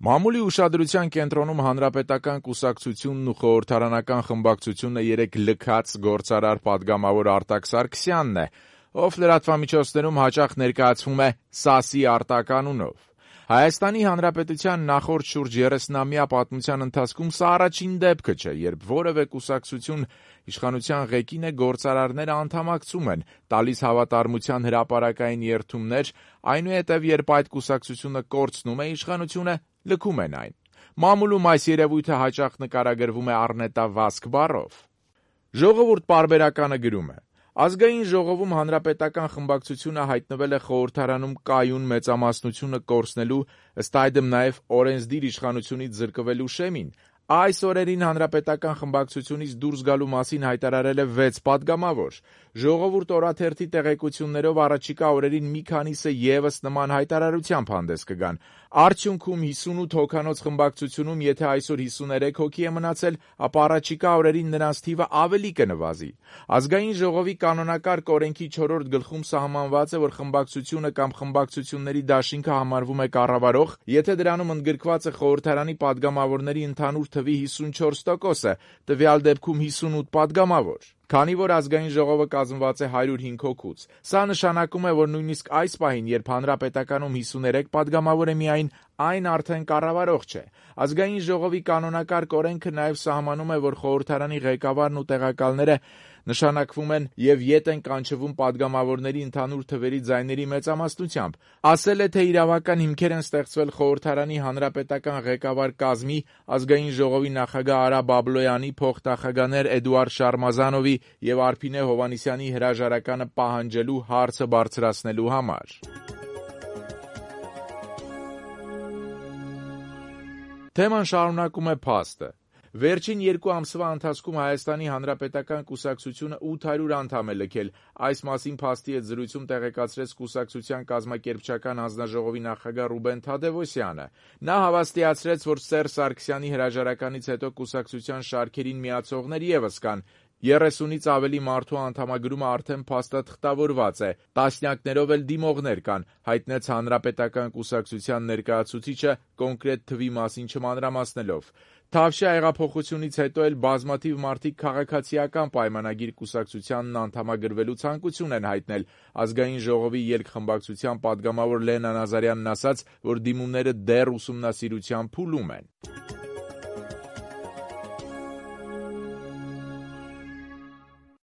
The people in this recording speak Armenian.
Մամուլի ուշադրության կենտրոնում Հանրապետական կուսակցությունն ու խորհրդարանական խմբակցությունը երեկ լքած գործարար պատգամավոր Արտակ Սարգսյանն է, ով լրատվամիջոցներում հաճախ ներկայացվում է «Սասի Արտակ» անունով։ Հայաստանի Հանրապետության նախորդ շուրջ 30-ամյա պատմության ընթացքում սա առաջին դեպքը չէ, երբ որևէ կուսակցություն իշխանության ղեկին է գործարարները անդամակցում են, տալիս հավատարմության հրապարակային երդումներ, այնուհետև երբ այդ կուսակցությունը կորցնում է իշխանությունը, լքում են այն։ Մամուլում այս երևույթը հաճախ նկարագրվում է առնետավազք բառով։ Ժողովուրդ պարբերականը գրում է. Ազգային ժողովում հանրապետական խմբակցությունը հայտնվել է խորհրդարանում կայուն մեծամասնությունը կորցնելու, ըստ այդմ նաև օրենսդիր իշխանությունից զրկվելու շեմին։ Այս օրերին հանրապետական խմբակցությունից դուրս գալու մասին հայտարարել է 6 պատգամավոր։ Ժողովուրդ օրաթերթի տեղեկություններով առաջիկա օրերին մի քանիսը ևս նման հայտարարությամբ հանդես կգան։ Արդյունքում 58 հոգանոց խմբակցությունում, եթե այսօր 53 հոգի է մնացել, ապա առաջիկա օրերին նրանց թիվը ավելի կնվազի։ Ազգային ժողովի կանոնակարգ օրենքի 4-րդ գլխում սահմանված է, որ խմբակցությունը կամ խմբակցությունների դաշինքը համարվում է կառավարող, եթե դրանում ընդգրկված է խորհրդարանի պատգամավորների ընդհանուր թվի 54%-ը, տվյալ դեպքում 58 պատգամավոր։ Քանի որ ազգային ժողովը կազմված է 105 հոգուց, սա նշանակում է, որ նույնիսկ այս պահին, երբ հանրապետականում 53 պատգամավոր է միայն, այն արդեն կառավարող չէ։ Ազգային ժողովի կանոնակարգ օրենքը նաև սահմանում է, որ խորհրդարանի ղեկավարն ու տեղակալները նշանակվում են եւ ետ են կանչվում պատգամավորների ընդհանուր թվերի ձայների մեծամասնությամբ։ Ասել է, թե իրավական հիմքեր են ստեղծվել խորհրդարանի հանրապետական ղեկավար կազմի, ազգային ժողովի նախագահ Արա Բաբլոյանի, փոխնախագահներ Էդուարդ Շարմազանովի եւ Արփինե Հովհաննիսյանի հրաժարականը պահանջելու հարցը բարձրացնելու համար։ Թեման շարունակում է փաստը։ Վերջին 2 ամսվա ընթացքում Հայաստանի Հանրապետական կուսակցությունը 800 անդամ է լքել։ Այս մասին փաստի հետ զրույցում տեղեկացրեց կուսակցության կազմակերպչական հանձնաժողովի նախագահ Ռուբեն Թադևոսյանը։ Նա հավաստիացրեց, որ Սերժ Սարգսյանի հրաժարականից հետո կուսակցության շարքերին միացողներ ևս կան։ 30-ից ավելի մարդու անդամագրումը արդեն փաստաթղթավորված է, տասնյակներով էլ դիմողներ կան, հայտնեց Հանրապետական կուսակցության ներկայացուցիչը կոնկրետ թվի մասին չմանրամասնելով։ Թավշյա հեղափոխությունից հետո էլ բազմաթիվ մարդիկ քաղաքացիական պայմանագիր կուսակցությանն անդամագրվելու ցանկություն են հայտնել։ Ազգային ժողովի ելքխմբակցության պատգամավոր Լենա Նազարյանն ասաց, որ դիմումները դեռ ուսումնասիրության փուլում են։